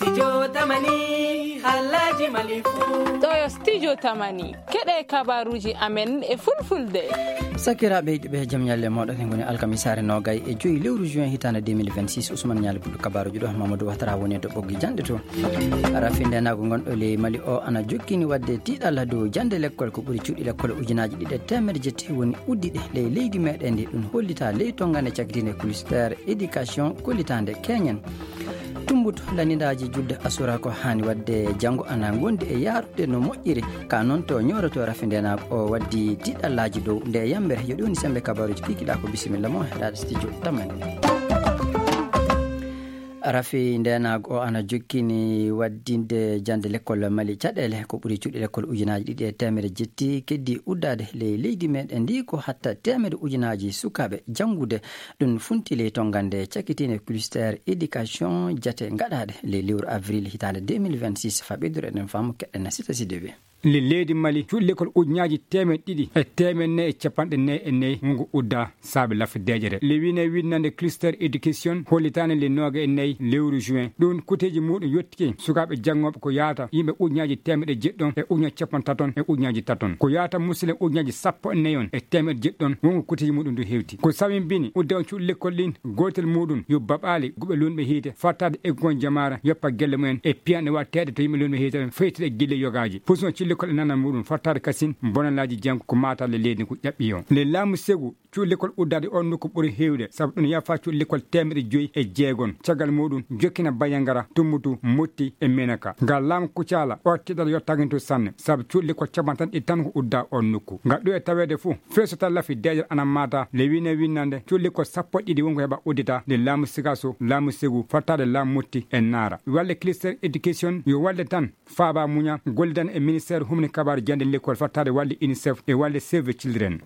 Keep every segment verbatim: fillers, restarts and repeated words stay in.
Studio Tamani, Alhaji Malifu. Ɗo yo Studio Tamani, keɗe kabaruji amen e fulfulde. Sakiraaɓe yiɗɓe, jam ñalle mooɗon. En ngoni alkamisaare noogay e joyi lewru juin hitaande deux mille vingt-six. Ousmane Ñaali Buddu kabaruji ɗo, Mamadou Ouattara woni e to ɓoggi janɗe to. Rafi ndenago ngonɗo ley Mali o ana jokkini wadde tiiɗalla dow jande lekkol ko ɓuri cuuɗi lekkol ujunaaji ɗiɗi e teemedde jetti woni uddiɗe ley leydi meɗen ndi. Ɗum hollita ley tongande cakitinde cluster éducation kollitaande keñen. Tumbuto lanndindaaji julde asura ko haani wadde janngo ana ngondi e yaarude no moƴƴiri. Ka noon to ñooroto rafi ndenago o waddi tiiɗallaaji dow nde yambere. Yo ɗum woni sembe kabaruji kikiɗa ko bisimilla mo heɗaade studio Tamani. Rafi ndenago o ana jokkini waddinde jande lekkol Mali caɗeele ko ɓuri cuuɗi lekkol ujunaaji ɗiɗi e teemedde jetti keddi uddaade ley leydi meɗen ndi ko hatta teemedde ujunaaji sukaaɓe janngude. Ɗum funti ley tongande cakitiinde cluster éducation jate ngaɗaade ley lewru avril hitaande deux mille vingt-six. Fa ɓeydoro eɗen faamu keɗen na sita sidiɓe. Le leydi Mali cuuɗi lekkol ujunaaji teemedde ɗiɗi e teemedde nayi e capanɗe nayi e nayi wongo udda saabe lafi deeƴere le wine winnande cluster éducation hollitaani le nooga e nayi lewru juin. Ɗum kuteeji muɗum yottike sukaaɓe janngooɓe ko yaata yimɓe ujunaaji teemedde jeɗɗon e ujunaaji capanɗe taton e ujunaaji taton ko yaata musidɓe ujunaaji sappo e nayon e teemedde jeɗɗon wongo kuteeji muɗum du hewti ko sawimbini udda on cuuɗi lekkol ɗin. Gootel muɗum yo baɓaali guɓe lunɓe hiite fattaade eggon jamaara yoppa gelle mumen e piyanɗe waɗteeɗe to yimɓe lunɓe hiite ɗon feytide e gille yogaaji pusuno cuuɗi lekkol e nanal muɗum fattaade kasin bonalaaji janngo ko maataale leydi ko ƴaɓɓi o le laamu segu cuuɗi lekkol uddaade on nokku ɓuri heewde sabu ɗum yafa cuuɗi lekkol teemedde joyi e jeegon caggal muɗum jokkina bayangara tumbutu motti e menaka ngal laamu kucaala o tiɗal yottaginto sanne sabu cuuɗi lekkol capanɗe tan ɗi tan ko udda on nokku ngal ɗo e taweede fof. Feesota lafi deeƴal ana maata le wine winnande cuuɗi lekkol sappo e ɗiɗi wonko heɓa uddita nde laamu sigaso laamu segu fattaade laamu motti e naara walle cluster éducation yo walle tan faaba muña gollidan e ministère humni kabaru jande lekkol fattaade walle unicef e walle save the children.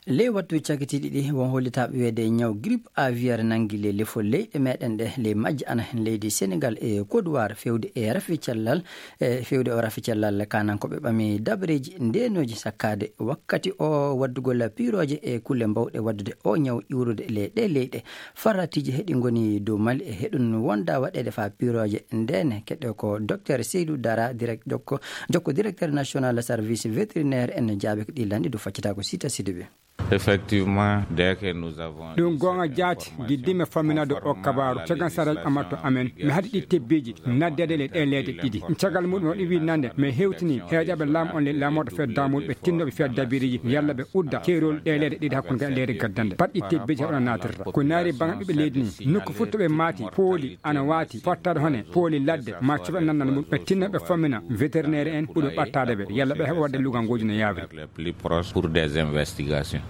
Ley wattu cakitiiɗi ɗi won hollitaaɓe weede ñaw grippe aviaire nangi le lefol leyɗe meɗen ɗe ley majje ana hen leydi sénégal e côte d'ivoire fewde e rafi cellal e fewde o rafi cellal kanan ko ɓe ɓami dabreeji ndenoji sakkade wakkati o waddugol piroje e kulle mbawɗe waddude o ñaw iwrude le ɗe leyɗe. Faratiiji heɗi ngoni dow mali e heɗun wonda waɗeede fa piroje ndene keɗɗo ko docteur seydou dara direct jokko jokko directeur national service vétérinaire en jaabe ko ɗi lanɗi du faccata ko sita sidiɓe. Effectivement, dès que nous avons ɗum goonga jaati giddimi famminade o kabaaru cagan saraji amatto amen mi haɗi ɗi tebbiiji naddeede le ɗe leyɗe ɗiɗi caggal muɗum o ɗi winnande mi hewtini heeƴaɓe laamu on le laamorɗo fedda muɗum ɓe tinnoɓe fiya dabiriiji yalla ɓe udda keerol ɗe leyɗe ɗiɗi hakkunde kadi leyɗe gaddande pat ɗi tebbiiji heɓana natirta ko naari banga ɓiɓɓe leydi ni nokku fof to ɓe maati pooli ana waati fottaade hone pooli ladde ma cuɓe nannal mum ɓe tinno ɓe fammina vétérinaire en ɓuri ɓattaade ɓe yalla ɓe heɓa wadde lugangoji no yaawri. Plus proche pour des investigations.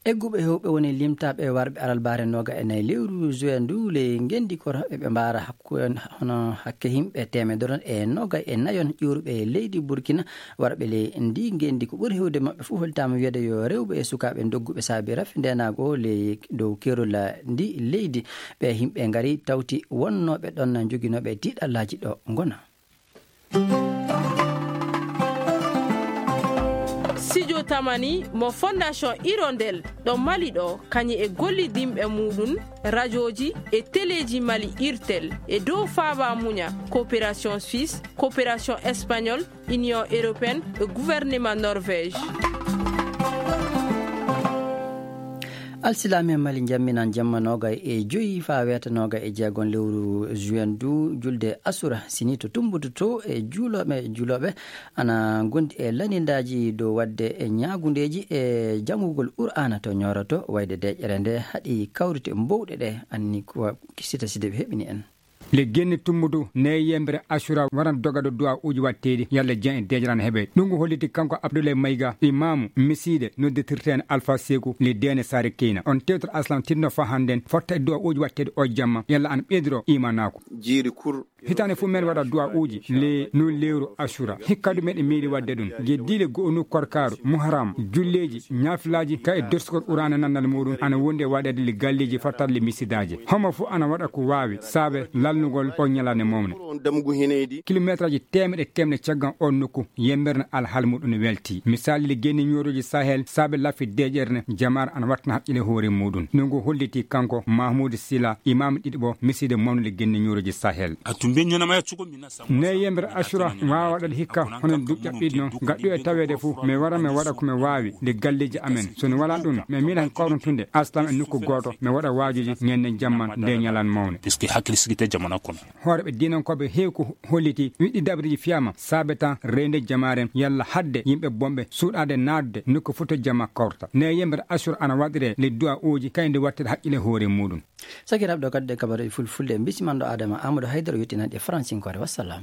Egguɓe hewɓe woni limtaɓe warɓe alalbare noga e nayi lewru juin ndu le ngendi koto ɓe ɓe mbara hakku hono hakke himɓe temedere e noga e nayon ƴuruɓe leydi burkina. Warɓe le ndi ngendi ko ɓuri hewde maɓɓe fof holtama wiyede yo rewɓe e sukaɓe dogguɓe saabi rafi ndenago le dow kerola ndi leydi. Ɓe himɓe ngari tawti wonnoɓe ɗon joginoɓe tiɗallaji ɗo gona. Studio Tamani mo Fondation Hirondelle ɗo Mali ɗo, kañum e gollidinɓe muɗum, rajoji e teleji Mali Irtel e dow faaba muña, coopération suisse, coopération espagnole, Union européenne e gouvernement Norvège. Alsilaame Mali njamminan jamma noogay e joyi faa weeta noogay e jeegon lewru juin du julde asura sini to tumbutu to e juulooɓe juulooɓe ana ngondi e lanindaaji dow waɗde e ñaagundeeji e janngugol qur'aana to ñooroto wayde deeƴere nde haɗi kawrite mbowɗe ɗe anni ko sita side ɓe heɓini en. Le genni tumbudu ne yembere asura waran dogado du'a uji watteedi yalla jen e deejaran heɓe ɗum ko holliti kanko abdoulaye mayga imamu misiide nodditirten alpha seku le dene sare keyna on tewtor aslam tinno fa hannden fotta e du'a uji watteedi o jamma yalla an ɓeydiro imanako. Jiiri kur Hitaande fof men waɗa du'a uji le non lewru Ashura. Hikka du meɗen meeɗi waɗde ɗum. Ge diile go'onu korkaaru, Muharram, julleeji, ñaafilaaji, ka e dorsugol Qur'aana nannal muɗum, ana wondi e waɗeede le galleeji fattaade le misidaaji. Homo fof ana waɗa ko waawi, saabe lalnugol o ñalaande mawne. Kilomeetraaji teemeɗe teemeɗe caggal on nokku, yembere no alhal muɗum welti. Misaali le genne ñooroji Sahel, saabe laafi deeƴere ne, jamaare ana waɗtana haqqile hoore muɗum. No ngu holliti kanko Mahmoud Sila, imam ɗiɗo bo, miside mawnude genne ñooroji Sahel. Ne yembere Ashura waawa waɗade hikka, hono duƴƴa ɓiɗno, gaɗɗo e taweede fof, mi wara, mi waɗa ko mi waawi, nde galleeji amen. So no wala ɗum, mi miila hen kawrontunde, aslam e nokku gooto, mi waɗa waajuji ñande jamma nde ñalan mawne. Puisque hakkille sigite jamana kono. Hooreɓe diinankooɓe heewi ko holliti, wiɗɗi daɓreeji fiyama, saabe tan reende jamaaren, yalla hadde yimɓe bonɓe suuɗaade naatde nokku fof to jama kawrata. Ne yembere Ashura ana waɗire le du'a uji, kayndi waɗtede haqqille hoore muɗum. Sakiraaɓe, ɗo kadi ɗe kabaruuji fulfulde, en mbisimanɗo Adama Amadou Haydara yottinan ɗe faransinkoore. Wassalam.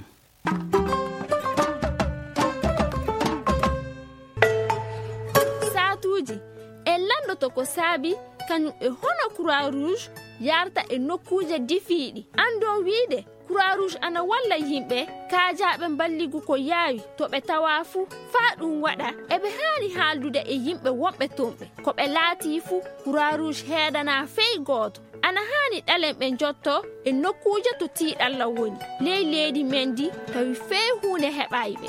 Saatuuji, en lanndotoo ko saabi kañum e hono Croix Rouge yarta e nokkuuje difiiɗi. Anndon wiide Croix Rouge ana walla yimɓe kaajaaɓe mballigu ko yaawi to ɓe tawaa fuu, faa ɗum waɗa eɓe haani haaldude e yimɓe wonɓe toon ɓe. Ko ɓe laatii fuu, Croix Rouge heedanaa fey gooto. Ana haani ɗalen ɓe njottoo e nokkuuje to tiiɗalla woni ley leydi men ndi, tawi fey huunde heɓaay ɓe.